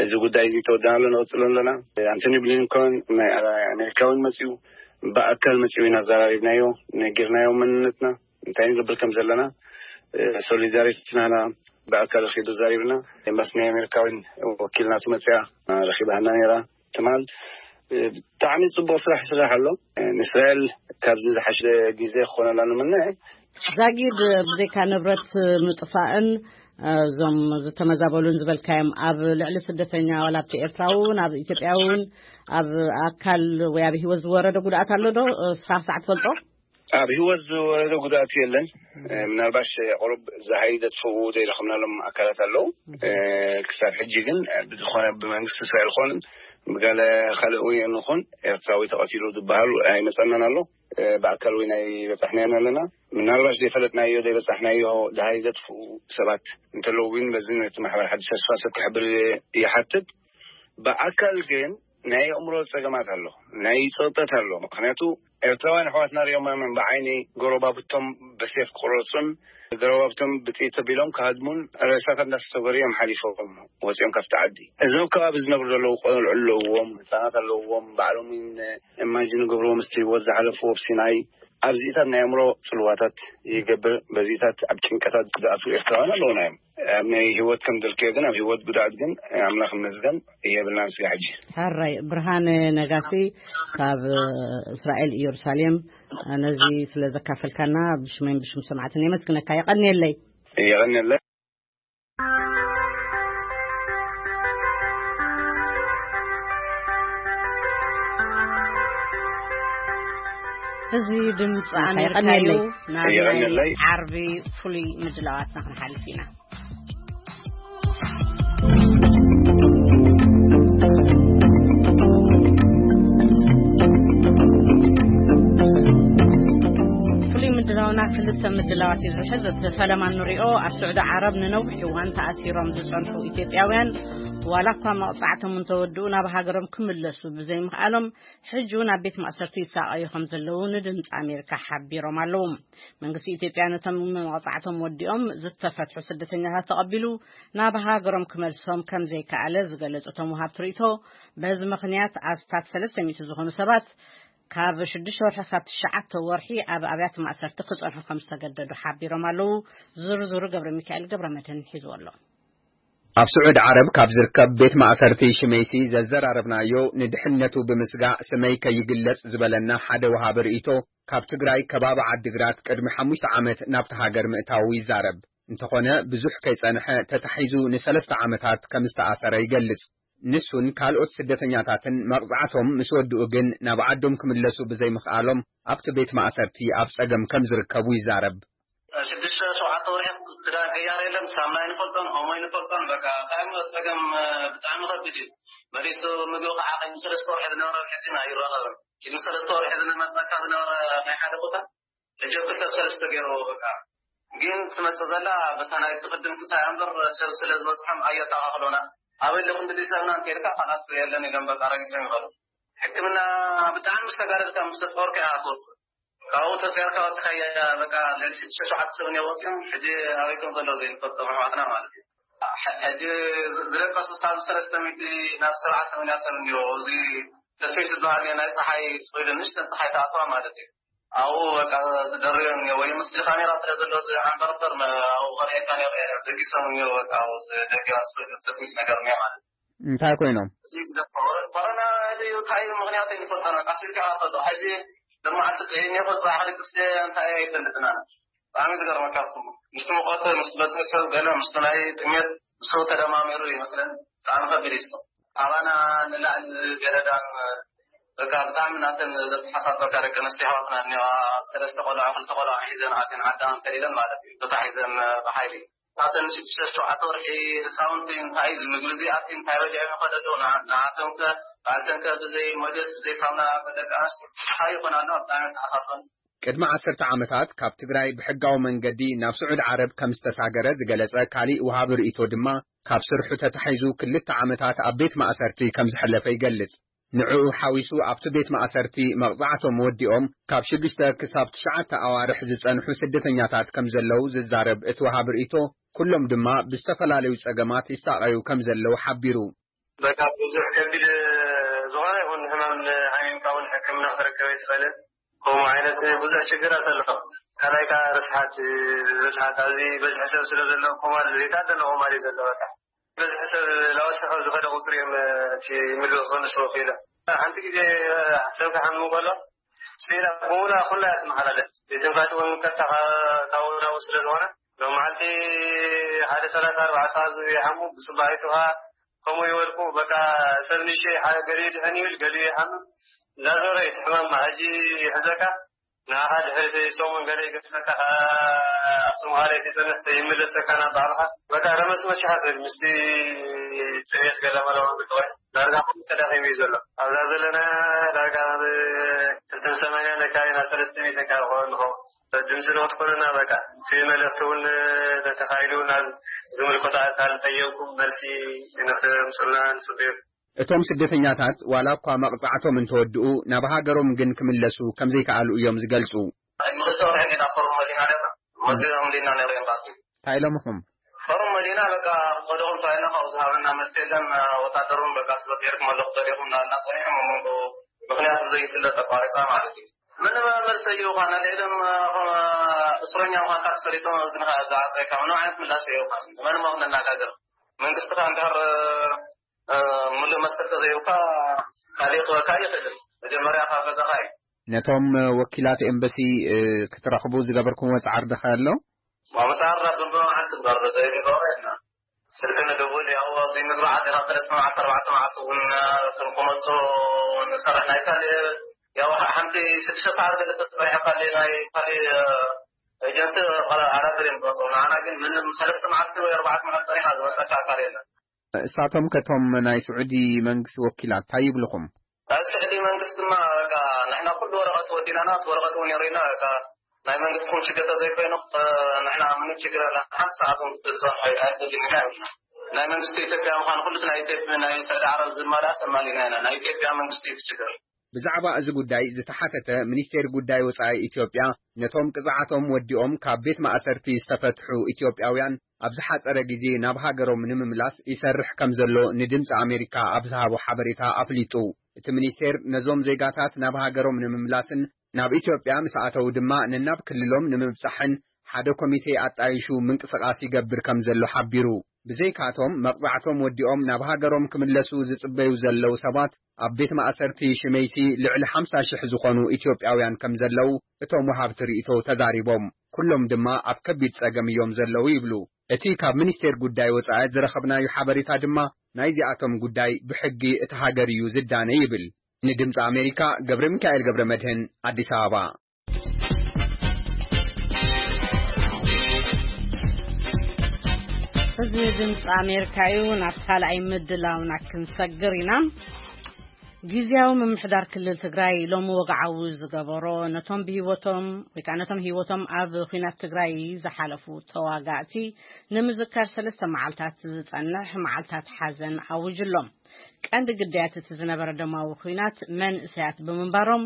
እዚ ጉዳይ እዚ ተወዳና ኣሎ ንቕፅሎ ኣለና። ኣንቶኒ ብሊንኮን ናይ ኣሜሪካ እውን መፅኡ ብኣካል መፅኡ ኢና ኣዘራሪብናዮ ነጊርናዮ መንነትና እንታይ ንገብር ከም ዘለና ሶሊዳሪቲ ናና ብኣካል ረኪቡ ዘሪብና ኤምባሲ ናይ ኣሜሪካ እውን ወኪል ናቱ መፅያ ረኪባና ነራ ትማል ብጣዕሚ ፅቡቅ ስራሕ ይስራሕ ኣሎ። ንእስራኤል ካብዚ ዝሓሸ ግዜ ክኾነላ ንምነ ዛጊድ፣ ብዘይካ ንብረት ምጥፋእን እዞም ዝተመዛበሉን ዝበልካዮም፣ ኣብ ልዕሊ ስደተኛ ዋላ ኣብቲ ኤርትራዊ እውን ኣብ ኢትዮጵያ እውን ኣብ ኣካል ወይ ኣብ ህይወት ዝወረደ ጉድኣት ኣሎ ዶ? ስኻ ክሳዕ ትፈልጦ? ኣብ ህይወት ዝወረደ ጉድኣት የለን። ምናልባሽ ቁሩብ ዝሃይ ዘጥፍኡ ዘይረኸብናሎም ኣካላት ኣለዉ። ክሳብ ሕጂ ግን ብዝኾነ ብመንግስቲ እስራኤል ኾን ብገለ ካልእ ወይ ንኹን ኤርትራዊ ተቐቲሉ ዝበሃል ኣይመጸናን ኣሎ። ብኣካል ወይ ናይ በጻሕናዮን ኣለና። ምናልባሽ ዘይፈለጥናዮ ዘይበጻሕናዮ ድሃይ ዘጥፍኡ ሰባት እንተለዉ እውን በዚ ነቲ ማሕበር ሓድሽ ተስፋ ሰብ ክሕብር ይሓትት። ብኣካል ግን ናይ ኣእምሮ ጸገማት ኣሎ፣ ናይ ጸቕጠት ኣሎ። ምኽንያቱ ኤርትራውያን ኣሕዋትና ሪኦም ብዓይኒ ጎረባብቶም ብሴፍ ክቑረጹን ጎረባብቶም ብጥይት ተቢሎም ክሃድሙን ሬሳታት እንዳተሰገሩ እዮም ሓሊፎም ወጺኦም ካብቲ ዓዲ። እዞም ከባቢ ዝነብሩ ዘለዉ ቆልዑ ኣለውዎም፣ ህጻናት ኣለውዎም፣ ባዕሎም እውን ኢማጂን ገብርዎ ምስቲ ህይወት ዝሓለፍዎ ኣብ ሲናይ ኣብዚታት ናይ ኣእምሮ ጽልዋታት ይገብር። በዚታት ኣብ ጭንቀታት ዝኣትዉ ኤርትራውያን ኣለውና እዮም። ኣብ ናይ ህይወት ከም ዘልክዮ ግን ኣብ ህይወት ጉድኣት ግን ኣምላኽ ይመስገን የብልናን ስጋ ሕጂ። ሕራይ ብርሃነ ነጋሲ ካብ እስራኤል ኢየሩሳሌም ነዚ ስለ ዘካፈልካና ብሽመይን ብሽም ሰማዕትን የመስግነካ። የቐንየለይ። የቐንየለይ። እዚ ድምፂ ኣሜሪካ እዩ። የቐንየለይ። ናብ ናይ የቐንየለይ። ዓርቢ ፍሉይ ምድላዋትና ክንሓልፍ ኢና። ፍሉይ ምድላውና ክልተ ምድላዋት እዩ ዝሕዝ። እቲ ፈለማ ንሪኦ ኣብ ስዑዲ ዓረብ ንነዊሕ እዋን ተኣሲሮም ዝጸንሑ ኢትዮጵያውያን ዋላ እኳ መቕጻዕቶም እንተወድኡ ናብ ሃገሮም ክምለሱ ብዘይምኽኣሎም ሕጂ እውን ኣብ ቤት ማእሰርቲ ይሳቐዩ ከም ዘለዉ ንድምፂ ኣሜሪካ ሓቢሮም ኣለዉ። መንግስቲ ኢትዮጵያ ነቶም መቕጻዕቶም ወዲኦም ዝተፈትሑ ስደተኛታት ተቐቢሉ ናብ ሃገሮም ክመልሶም ከም ዘይከኣለ ዝገለጹ እቶም ወሃብቲ ርእይቶ፣ በዚ ምኽንያት ኣስታት ሰለስተ ሚእቲ ዝኾኑ ሰባት ካብ ሽዱሽተ ወርሒ ክሳብ ትሽዓተ ወርሒ ኣብ ኣብያተ ማእሰርቲ ክጸንሑ ከም ዝተገደዱ ሓቢሮም ኣለዉ። ዝርዝሩ ገብረ ሚካኤል ገብረ መድህን ሒዝዎ ኣሎ። ኣብ ስዑዲ ዓረብ ካብ ዝርከብ ቤት ማእሰርቲ ሽመይቲ ዘዘራረብናዮ፣ ንድሕነቱ ብምስጋእ ስመይ ከይግለጽ ዝበለና ሓደ ወሃቢ ርእይቶ፣ ካብ ትግራይ ከባቢ ዓዲግራት ቅድሚ ሓሙሽተ ዓመት ናብቲ ሃገር ምእታዉ ይዛረብ። እንተኾነ ብዙሕ ከይጸንሐ ተታሒዙ ንሰለስተ ዓመታት ከም ዝተኣሰረ ይገልጽ። ንሱን ካልኦት ስደተኛታትን መቕጻዕቶም ምስ ወድኡ ግን ናብ ዓዶም ክምለሱ ብዘይምኽኣሎም ኣብቲ ቤት ማእሰርቲ ኣብ ጸገም ከም ዝርከቡ ይዛረብ። ሽዱሽተ ሸውዓተ ወርሒ ክዳን ቀያር የለን፣ ሳሙና ኣይንፈልጦን፣ ኦሞ ኣይንፈልጦን። በቃ እንታይ እሞ ጸገም፣ ብጣዕሚ ከቢድ እዩ። መሊሱ ምግቢ ከዓ ቅድሚ ሰለስተ ወርሒ ዝነበረ ሕጂ ኣይራኸብን። ቅድሚ ሰለስተ ወርሒ ዝመጸካ ዝነበረ ናይ ሓደ ቦታ ሕጂ ኣብ ክልተ ሰለስተ ገይርዎ በቃ። ግን ትመጽእ ዘላ በታ ናይ ትቕድም ክልተ እያ እምበር ሰብ ስለ ዝበጽሖም ኣየተኣኻኽሎና። ኣበይ ኣለኹም ድልዩ ሰብና እንተኢልካ ካላስ የለን ኢሎም በቃ ረጊጾም ይኸዱ። ሕክምና ብጣዕሚ ምስ ተጋደልካ ምስ ተጸወርካ ኢኻ ትወጽእ። ካብኡ ተጸርካ ወጽኻ በቃ ልዕሊ ሽዱሽተ ሸውዓተ ሰብ እዮም ወጺኦም። ሕጂ ኣበይ ከም ዘለዉ ዘይንፈልጦም ኣሕዋትና ማለት እዩ። ሕ-፣ ሕጂ ዝደቀሱ ካብ ሰለስተ ሚእቲ ናብ ሰብዓ ሰማንያ ሰብ እኒኦ። እዚ ተስሚት ዝበሃል እዩ፣ ናይ ጸሓይ ስቑኢሉ ንእሽተን ጸሓይ ተኣትዋ ማለት እዩ። ኣብኡ በቃ ዝደርብዮ እኒኦ ወይ ምስሊ ካሜራ ስለ ዘሎ እዚ ዓንበርበር መ-፣ ኣብኡ ከርእየካ ነይሩ እየ። ደጊሶም እኒኦ በቃ ኣብኡ ደጊባ ስቑኢሉ ተስሚት ነገር እኒኦ ማለት እዩ። እንታይ ኮይኖም? እዚ ዝደፍኦ ኮሮና ድዩ እንታይ እዩ ምኽንያቱ ኣይንፈልጦን። በቃ ስልኪ ኣዋፈዶ። ሕጂ ለመዓልቲ ጥዒም እየ፣ ጽባሕ ክልቅስ እየ፣ እንታይ ኣይፈልጥን ኣነ። ብጣዕሚ ዝገርመካ እሱ። ምስቲ ሙቐት፣ ምስቲ በዝሒ ሰብ ገለ፣ ምስቲ ናይ ጥሜት፣ ምስኡ ተደማሚሩ ይመስለን። ብጣዕሚ ከቢድ እዩ እሱ። ኣባና ንላዕሊ ገደዳን በቃ ብጣዕሚ ናተን ዘተሓሳስበካ ደቂ ኣንስትዮ ኣሕዋትና እኒዋ። ሰለስተ ቆልዑ፣ ክልተ ቆልዑ ሒዘን ኣትን ዓዳን ከሊለን ማለት እዩ። ተታሒዘን ብሓይሊ። ካብተን ሽዱሽተ ሸውዓተ ወርሒ ህፃውንቲ እንታይ ምግቢ ዘይኣትዩ እንታይ በሊዖም ይኸዱ ኣለዉ? ንዓ-፣ ንዓቶም ከ ባዕልተን ከ ብዘይ ሞዴስ ብዘይ ሳሙና ደቂ ኣንስትዮ እንታይ ይኾና ኣለዋ? ብጣዕሚ ተሓሳስበን። ቅድሚ ዓሰርተ ዓመታት ካብ ትግራይ ብሕጋዊ መንገዲ ናብ ስዑዲ ዓረብ ከም ዝተሳገረ ዝገለጸ ካሊእ ወሃቢ ርእይቶ ድማ፣ ካብ ስርሑ ተታሒዙ ክልተ ዓመታት ኣብ ቤት ማእሰርቲ ከም ዘሕለፈ ይገልጽ። ንዕኡ ሓዊሱ ኣብቲ ቤት ማእሰርቲ መቕጻዕቶም ወዲኦም ካብ ሽዱሽተ ክሳብ ትሽዓተ ኣዋርሕ ዝጸንሑ ስደተኛታት ከም ዘለዉ ዝዛረብ እቲ ወሃቢ ርእይቶ፣ ኩሎም ድማ ብዝተፈላለዩ ጸገማት ይሳቐዩ ከም ዘለዉ ሓቢሩ። በቃ ብዙሕ ከቢድ ዝኾነ ይኹን ሕማም ሓሚምካ እውን ሕክምና ክርከብ ኣይትኽእልን። ከምኡ ዓይነት ብዙሕ ችግራት ኣሎ። ካልኣይ ከዓ ርስሓት፣ ርስሓት ኣብዚ በዝሒ ሰብ ስለ ዘሎ ኮማል ዘይተኣደነ ኮማል እዩ ዘሎ። በቃ በዝሒ ሰብ ላወሰኸ ዝኸደ ቁፅሪ እዮም እቲ ምግቢ ክኽንስዎ ክኢሎም። ሓንቲ ግዜ ሰብ ክሓሚ ከሎ ስኢላ ብሙላ ኩላ እያ ትመሓላለፍ። ቤት ትንፋሽ እውን ቀጥታ ካብ ናብኡ ስለ ዝኾነ ሎም መዓልቲ ሓደ ሰላሳ ኣርባዓ ሰዓት ዝብል ይሓሙ፣ ብፅባሒቱ ከዓ ከምኡ ይወድቁ። በቃ ሰብ ንእሽተይ ሓደ ገሊኡ ድሕን ይብል፣ ገሊኡ ይሓምም። እንዳዞረ እዩ እቲ ሕማም ሕጂ ይሕዘካ። ንዓኻ ድሕሪ ሰሙን ገለ ይገድፈካ፣ ከዓ ኣክሱም ካልኣይ ትጸንሕ ይምለሰካ ናብ ባዕልኻ። በቃ ረመስመስ ይሓፍር ምስቲ ጥሜት ገለ መለ ወይ ዳርጋ ተዳኺሙ እዩ ዘሎ። ኣብዛ ዘለና ዳርጋ ኣብ ክልተን ሰማንያን ኣካባቢ ናብ ሰለስተ ሚእትን ካብ ክኸውን ንኸውን። ድምፂ ንክትኮነና በቃ እቲ መልእኽቲ እውን ተተኻኢሉ ናብ ዝምልከቶ ኣካል ጠየብኩም መልሲ ንክተምፅኡልና ንፅበዩ። እቶም ስደተኛታት ዋላ እኳ መቕጻዕቶም እንተወድኡ፣ ናብ ሃገሮም ግን ክምለሱ ከም ዘይከኣሉ እዮም ዝገልጹ። ንኽልተ ወርሒ ኢና ኮሮና ዲና ነርና። መዚኦም ዲና ነሩ ኤምባሲ። እንታይ ኢሎምኹም? ኮሮና ዲና በቃ ክኸደኹም ተባሂልና ካብኡ ዝሃበና መልሲ የለን። ወታደር እውን በቃ ስለ ስዒርኩም ኣለኹ ተሪኹም እናበልና ጸኒሖም ኣብ መንጎ ምኽንያቱ ዘይፍለጥ ኣቋሪጻ ማለት እዩ። ምንም መልሲ ኣይህቡኻን። ኣልዒሎም እስረኛ ምዃንካ ተፈሊጦም እዝንኻ ዝዓጸየካ ምንም ዓይነት ምላሽ ኣይህቡኻን። ንመን እሞ ክነነጋግር? መንግስቲ ከኣ እንድሕር ምሉእ መሰል ተዘይብካ ካሊእ ክበካ ይኽእል። መጀመርያ ካብ ገዛኻ እዩ። ነቶም ወኪላት ኤምባሲ ክትረኽቡ ዝገበርኩምዎ ጻዕሪ ዶ ኣሎ? መጻዕርና ብምሉእ መዓልቲ እምበር ዘይምግባር የልና። ስልኪ ንድውል፣ ያው ኣብዚ ምግቢ ዓጺኻ ሰለስተ መዓልቲ ኣርባዕተ መዓልቲ እውን ክንክመጾ ንሰርሕ። ናይ ካልእ ያው ሓንቲ ሽዱሽተ ሰዓት ገለ ተጸኒሑ ካልእ ናይ ካልእ ኤጀንሲ ኣራግር እዮም ዝመጽኡ። ንዓና ግን ምንም ሰለስተ መዓልቲ ወይ ኣርባዕተ መዓልቲ ጸኒሓ ዝመጸካ ኣካል የለን። እሳቶም ከቶም ናይ ስዑዲ መንግስቲ ወኪላት እንታይ ይብልኹም? ናይ ስዑዲ መንግስቲ ድማ በቃ ንሕና ኩሉ ወረቐት ወዲናና፣ እቲ ወረቐት እውን የርእዩና። በቃ ናይ መንግስቲ ኩም ችግር ተዘይኮይኑ ንሕና ምንም ችግር የለን። ሓንቲ ሰዓት እውን ክትጸንሑ ኣይትደልን ኢና ይብሉና። ናይ መንግስቲ ኢትዮጵያ ምዃኑ ኩሉ ናይ ኢትዮጵያ ናይ ስዑዲ ዓረብ ዝማልኣስ ኣማሊእና ኢና። ናይ ኢትዮጵያ መንግስቲ እዩ እቲ ችግር። ብዛዕባ እዚ ጉዳይ ዝተሓተተ ሚኒስቴር ጉዳይ ወጻኢ ኢትዮጵያ፣ ነቶም ቅጽዓቶም ወዲኦም ካብ ቤት ማእሰርቲ ዝተፈትሑ ኢትዮጵያውያን ኣብ ዝሓጸረ ግዜ ናብ ሃገሮም ንምምላስ ይሰርሕ ከም ዘሎ ንድምጺ ኣሜሪካ ኣብ ዝሃቦ ሓበሬታ ኣፍሊጡ። እቲ ሚኒስቴር ነዞም ዜጋታት ናብ ሃገሮም ንምምላስን ናብ ኢትዮጵያ ምስ ኣተው ድማ ነናብ ክልሎም ንምብጻሕን ሓደ ኮሚቴ ኣጣይሹ ምንቅስቓስ ይገብር ከም ዘሎ ሓቢሩ። ብዘይካቶም መቕጻዕቶም ወዲኦም ናብ ሃገሮም ክምለሱ ዝጽበዩ ዘለዉ ሰባት ኣብ ቤት ማእሰርቲ ሽመይቲ ልዕሊ ሓምሳ ሽሕ ዝኾኑ ኢትዮጵያውያን ከም ዘለዉ እቶም ወሃብቲ ርእይቶ ተዛሪቦም። ኩሎም ድማ ኣብ ከቢድ ጸገም እዮም ዘለዉ ይብሉ። እቲ ካብ ሚኒስቴር ጉዳይ ወጻኢ ዝረኸብናዮ ሓበሬታ ድማ ናይዚኣቶም ጉዳይ ብሕጊ እቲ ሃገር እዩ ዝዳነ ይብል። ንድምፂ ኣሜሪካ ገብረ ሚካኤል ገብረ መድህን ኣዲስ ኣበባ። እዚ ድምፂ ኣሜሪካ እዩ። ናብ ካልኣይ ምድላውና ክንሰግር ኢና። ግዝያዊ ምምሕዳር ክልል ትግራይ ሎሚ ወግዓዊ ዝገበሮ ነቶም ብህይወቶም ወይ ከዓ ነቶም ህይወቶም ኣብ ኲናት ትግራይ ዝሓለፉ ተዋጋእቲ ንምዝካር ሰለስተ መዓልታት ዝጸንሕ መዓልታት ሓዘን ኣውጅ ኣሎ። ቀንዲ ግዳያት እቲ ዝነበረ ደማዊ ኲናት መንእሰያት ብምንባሮም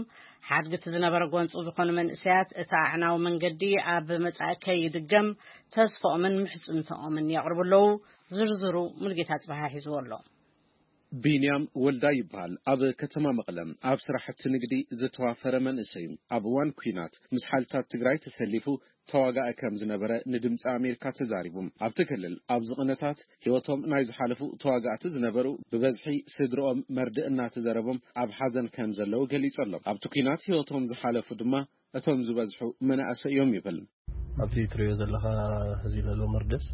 ሓድጊ እቲ ዝነበረ ጎንፂ ዝኾኑ መንእሰያት እቲ ኣዕናዊ መንገዲ ኣብ መጻኢ ከይድገም ተስፋኦምን ምሕፅንታኦምን የቕርቡ ኣለዉ። ዝርዝሩ ሙልጌታ ጽባሕ ሒዝዎ ኣሎ። ቢንያም ወልዳ ይበሃል። ኣብ ከተማ መቐለ ኣብ ስራሕቲ ንግዲ ዝተዋፈረ መንእሰይ እዩ። ኣብ እዋን ኲናት ምስ ሓይልታት ትግራይ ተሰሊፉ ተዋጋኢ ከም ዝነበረ ንድምፂ ኣሜሪካ ተዛሪቡ። ኣብቲ ክልል ኣብዚ ቅነታት ህይወቶም ናይ ዝሓለፉ ተዋጋእቲ ዝነበሩ ብበዝሒ ስድርኦም መርድእ እናተዘረቦም ኣብ ሓዘን ከም ዘለዉ ገሊጹ ኣሎ። ኣብቲ ኲናት ህይወቶም ዝሓለፉ ድማ እቶም ዝበዝሑ መናእሰይ እዮም ይብል። ኣብቲ ትሪኦ ዘለኻ እዚ ዘሎ መርደስ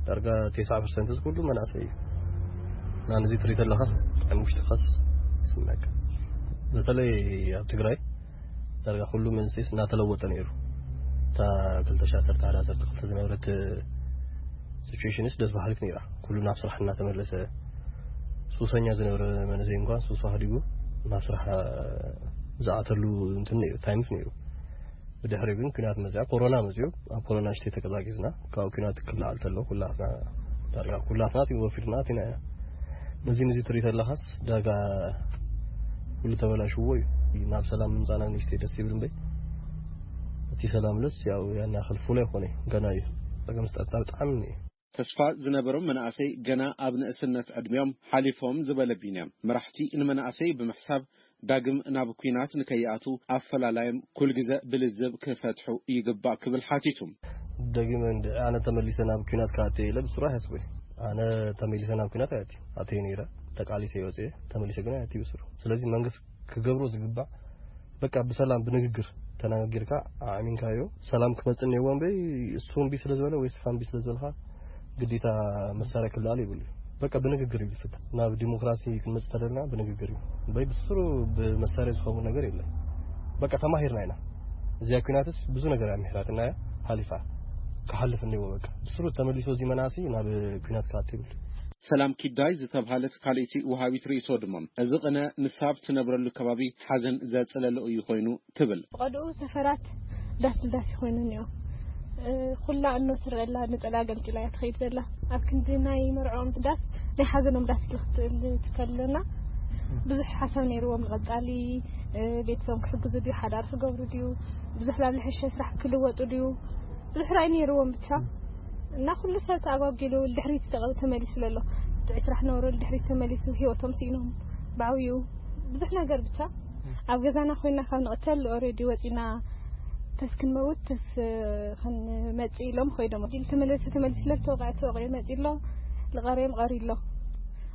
ዳርጋ ተስዓ ፐርሰንት እዚ ኩሉ መናእሰይ እዩ። እና ነዚ ትሪኢ ተለኻስ ኣብ ውሽጥኻስ ይስምዐካ። በተለይ ኣብ ትግራይ ዳርጋ ኩሉ መንስኤስ እናተለወጠ ነይሩ። እታ ክልተ ሺሕ ዓሰርተ ሓደ ዓሰርተ ክልተ ዝነበረት ሲቹዌሽንስ ደስ በሃሊት ነይራ። ኩሉ ናብ ስራሕ እናተመለሰ ሱሰኛ ዝነበረ መንእሰይ እንኳን ሱሱ ኣህዲጉ ናብ ስራሕ ዝኣተሉ እንትን ነይሩ፣ ታይምስ ነይሩ። ብድሕሪኡ ግን ኲናት መፅያ፣ ኮሮና መፅዩ። ኣብ ኮሮና ንእሽተይ ተቀዛቂዝና፣ ካብኡ ኲናት ክለዓል ተሎ ኩላትና ዳርጋ ኩላትና እቲ ወፊርና ኣቲና ኢና። ነዚ ነዚ ትርኢ ተለኻስ ዳርጋ ኩሉ ተበላሽዎ እዩ። ናብ ሰላም ምምፃና ንእሽተይ ደስ ይብል እምበይ እቲ ሰላም ለስ ያው ያን ያኽል ፉል ኣይኮነ ገና እዩ። ፀገም ስጠታ ብጣዕሚ እዩ። ተስፋ ዝነበሮም መናእሰይ ገና ኣብ ንእስነት ዕድሚኦም ሓሊፎም ዝበለ ቢንያም፣ መራሕቲ ንመናእሰይ ብምሕሳብ ዳግም ናብ ኲናት ንከይኣትዉ ኣፈላላዮም ኩልግዘ ብልዝብ ክፈትሑ ይግባእ ክብል ሓቲቱ። ደጊመ እንድዒ ኣነ ተመሊሰ ናብ ኲናት ክኣቱ እየ ኢለ ብስሩ ኣይሓስቦ እየ። ኣነ ተመሊሰ ናብ ኲናት ኣይኣትዩ። ኣትየ ነይረ፣ ተቃሊሰ እየ ወፅየ፣ ተመሊሰ ግን ኣይኣትዩ ብስሩ። ስለዚ መንግስት ክገብሮ ዝግባእ በቃ ብሰላም ብንግግር ተነጋጊርካ ኣዕሚንካዮ ሰላም ክመጽእ እኒአዎ እምበይ፣ እሱ እምቢ ስለ ዝበለ ወይ ስኻ እምቢ ስለ ዝበልካ ግዴታ መሳርያ ክለዓል የብሉ እዩ። በቃ ብንግግር እዩ ዝፍታሕ። ናብ ዲሞክራሲ ክንመጽእ ተደልና ብንግግር እዩ እምበይ፣ ብስሩ ብመሳርያ ዝኸውን ነገር የለን። በቃ ተማሂርና ኢና። እዚኣ ኲናትስ ብዙ ነገር እያ ምሒራትና እያ፣ ሓሊፋ። ክሓልፍ እኒዎ በቃ። ብስሩ ተመሊሱ እዚ መናእሰይ ናብ ኲናት ክኣቱ ይብል። ሰላም ኪዳይ ዝተብሃለት ካልእቲ ወሃቢት ርእይቶ ድማ፣ እዚ ቅነ ንሳ ኣብ ትነብረሉ ከባቢ ሓዘን ዘጽለለኦ እዩ ኮይኑ ትብል። ብቐድኡ ሰፈራት ዳስ ንዳስ ይኾይኑ እኒኦ። ኩላ እኖ ትረአ ኣላ፣ ነጸላ ገምጢላ እያ ትኸይድ ዘላ። ኣብ ክንዲ ናይ መርዕኦም ዳስ ናይ ሓዘኖም ዳስ ክትእል ትከለና ብዙሕ ሓሳብ ነይርዎም። ንቐጻሊ ቤተሰቦም ክሕግዙ ድዩ፣ ሓዳር ክገብሩ ድዩ፣ ብዙሕ ናብ ልሕሸ ስራሕ ክልወጡ ድዩ፣ ብዙሕ ራእይ ነይርዎም ብቻ። እና ኩሉ ሰብ ተኣጓጊሉ ድሕሪት ተቐ- ተመሊሱ ዘሎ። ጥዑይ ስራሕ ነበሩ ድሕሪት ተመሊሱ ህይወቶም ስኢኖም ብዓብዩ ብዙሕ ነገር ብቻ። ኣብ ገዛና ኮይና ካብ ንቕተል ኦሬዲ ወፂና ተስ ክንመውት ተስ ክንመፅእ ኢሎም ኮይዶም። ኢል ተመለሰ ተመሊሱ ስለ ዝተወቕዐ ተወቕዑ መፂ ኣሎ። ልቐርዮም ቀሪ ኣሎ።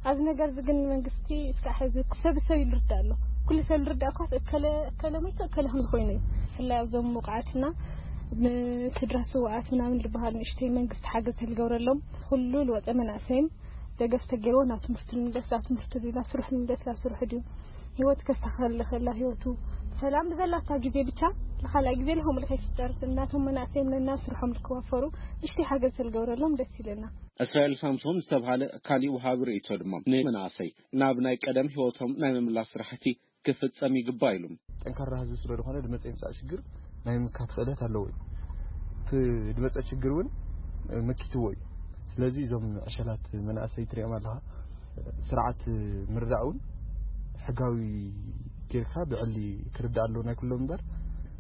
ኣብዚ ነገር እዚ ግን መንግስቲ እስካዕ ሕዚ ሰብ ሰብ ይልርዳ ኣሎ። ኩሉ ሰብ ልርዳ እኳ እከለ እከለ ሞይቱ እከለ ከም ዝኾይኑ እዩ። ብፍላይ ኣብዞም ውቕዓትና ንስድራ ስውኣት ምናምን ዝበሃል ንእሽተይ መንግስቲ ሓገዝ ተልገብረሎም ኩሉ ልወፀ መናእሰይም ደገፍ ተገይርዎ ናብ ትምህርቱ ንምለስ፣ ናብ ትምህርቱ ድዩ ናብ ስርሑ ንምለስ፣ ናብ ስርሑ ድዩ ህይወት ከስተኻኸል ከላ ህይወቱ ሰላም ብዘላታ ግዜ ብቻ ንኻልኣይ ግዜ ለኸምኡ ከይፍጠር እናቶም መናእሰይም ነና ስርሖም ልክዋፈሩ ንእሽተይ ሓገዝ ተልገብረሎም ደስ ይለና። እስራኤል ሳምሶን ዝተብሃለ ካሊእ ወሃቢ ርእይቶ ድማ ንመናእሰይ ናብ ናይ ቀደም ህይወቶም ናይ ምምላስ ስራሕቲ ክፍጸም ይግባእ ኢሉ። ጠንካራ ህዝቢ ስለ ዝኾነ ዝመፀ ይምፃእ ሽግር ናይ ምምካት ክእለት ኣለዎ እዩ። እቲ ዝመፀ ሽግር እውን መኪትዎ እዩ። ስለዚ እዞም ዕሸላት መናእሰይ ትሪኦም ኣለኻ፣ ስርዓት ምርዳእ እውን ሕጋዊ ጌርካ ብዕሊ ክርዳእ ኣለዎ ናይ ኩሎም እምበር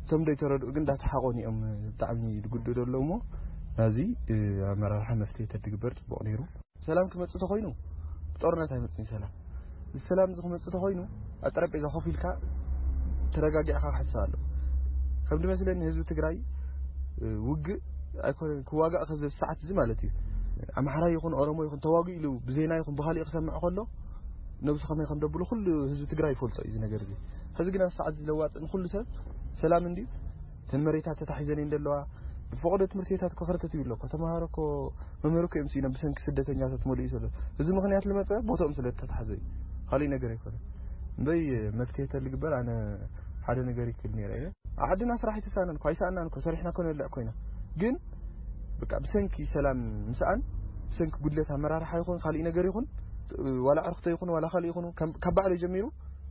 እቶም ዘይተረድኡ ግን እንዳተሓቆኑ እዮም ብጣዕሚ ዝጉድኡ ዘለዉ እሞ ናዚ ኣመራርሓ መፍትሒ ተድግበር ፅቡቕ ነይሩ። ሰላም ክመጽእ ተኾይኑ ብጦርነት ኣይመጽእን ሰላም። እዚ ሰላም እዚ ክመጽእ ተኾይኑ ኣብ ጠረጴዛ ኮፍ ኢልካ ተረጋጊዕካ ክሕሰብ ኣሎ። ከም ዝመስለኒ ህዝቢ ትግራይ ውግእ ኣይኮነን ክዋጋእ ከዚ ሰዓት እዚ ማለት እዩ። ኣምሓራይ ይኹን ኦሮሞ ይኹን ተዋጊኡ ኢሉ ብዜና ይኹን ብኻሊእ ክሰምዕ ከሎ ነብሱ ከመይ ከም ደብሉ ኩሉ ህዝቢ ትግራይ ይፈልጦ እዩ እዚ ነገር እዚ። ሕዚ ግን ኣብ ሰዓት እዚ ለዋፅን ኩሉ ሰብ ሰላም እንድዩ። እተን መሬታት ተታሒዘን እየን ዘለዋ። ብፈቐዶ ትምህርቲ ቤታት እኮ ከርተት ይብሎ እኮ ተምሃሮ እኮ መምህር እኮ እዮም ስኢኖም ብሰንኪ ስደተኛታት መሊኡ ዘሎ። እዚ ምኽንያት ልመፀ ቦትኦም ስለ ተታሕዘ እዩ። ካሊእ ነገር ኣይኮነን። እምበይ መፍትሄ ተልግበር ኣነ ሓደ ነገር ይክል ነይረ እየ። ዓድና ስራሕ ኣይተሳነን እኮ ኣይሰኣናን እኮ ሰሪሕና እኮ ነልዕ ኮይና ግን በቃ ብሰንኪ ሰላም ምስኣን ብሰንኪ ጉድለት ኣመራርሓ ይኹን ካሊእ ነገር ይኹን ዋላ ዕርክቶ ይኹን ዋላ ካሊእ ይኹን ካብ ባዕሉ ጀሚሩ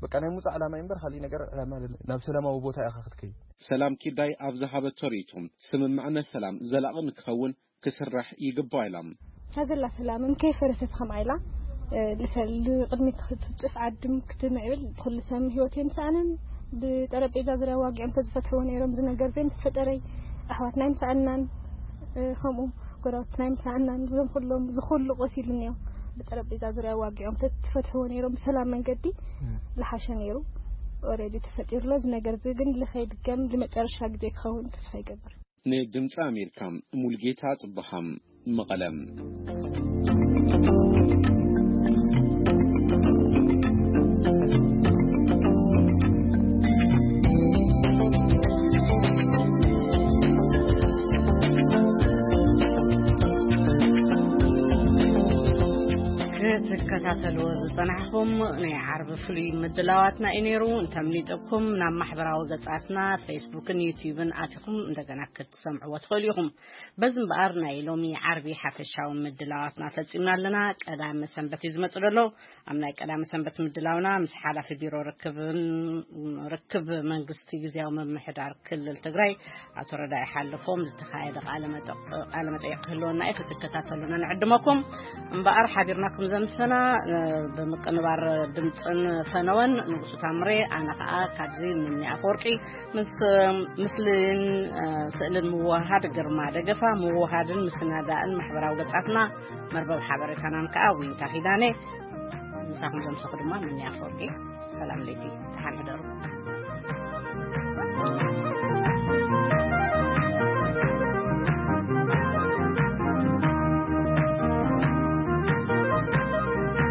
በቃ ናይ ሙፃእ ዕላማ እዩ እምበር ካሊእ ነገር ዕላማ ናብ ሰላማዊ ቦታ ኢኻ ክትከይድ። ሰላም ኪዳይ ኣብ ዝሃበቶ ርእይቶ ስምምዕነት ሰላም ዘላቒ ንክኸውን ክስራሕ ይግባእ ኢላ። እታ ዘላ ሰላምም ከይፈረሰት ከምኣ ኢላ ልሰል ቅድሚ ክትፅፍ ዓድም ክትምዕብል ኩሉ ሰብ ህይወት የምሰኣንን ብጠረጴዛ ዙሪያ ዋጊዖም ተዝፈትሕዎ ነይሮም ዝነገር ዘይምተፈጠረይ ኣሕዋትና ይምሰኣናን ከምኡ ጎረባብትና ይምሰኣናን እዞም ኩሎም ዝኩሉ ቆሲሉ እኒኦ ብጠረጴዛ ዙሪያ ዋጊዖም ተዝፈትሕዎ ነይሮም ብሰላም መንገዲ ዝሓሸ ነይሩ። ኦሬዲ ተፈጢሩሎ እዚ ነገር እዚ ግን ልኸይድገም ዝመጨረሻ ግዜ ክኸውን ተስፋ ይገብር። ንድምፂ ኣሜሪካ ሙልጌታ ጽብሃም መቐለ። ክትከታተልዎ ዝጸናሕኹም ናይ ዓርቢ ፍሉይ ምድላዋትና እዩ ነይሩ። እንተምሊጠኩም ናብ ማሕበራዊ ገጻትና ፌስቡክን ዩትዩብን ኣቲኹም እንደገና ክትሰምዕዎ ትኽእሉ ኢኹም። በዚ እምበኣር ናይ ሎሚ ዓርቢ ሓፈሻዊ ምድላዋትና ፈጺምና ኣለና። ቀዳመ ሰንበት እዩ ዝመጽእ ዘሎ። ኣብ ናይ ቀዳመ ሰንበት ምድላውና ምስ ሓላፊ ቢሮ ርክብን ርክብ መንግስቲ ግዝያዊ ምምሕዳር ክልል ትግራይ ኣቶ ረዳኢ ሓለፎም ዝተኻየደ ቃለ መጠ- ቃለ መጠይቕ ክህልወና እዩ። ክትከታተሉና ንዕድመኩም። እምበኣር ሓቢርናኩም ዘምሰና እ፣ ብምቅንባር ድምፅን ፈነወን ንጉሱ ታምሬ፣ ኣነ ከዓ ካብዚ ምኒ ኣፈወርቂ ምስ ምስልን እ፣ ስእልን ምውሃድ ግርማ ደገፋ፣ ምውሃድን ምስናዳእን ማሕበራዊ ገጻትና መርበብ ሓበሬታናን ከዓ ዊንታ ኪዳነ። ምሳኹም ዘምሰኹ ድማ ምኒ ኣፈወርቂ። ሰላም ለይቲ፣ ደሓን ሕደሩ።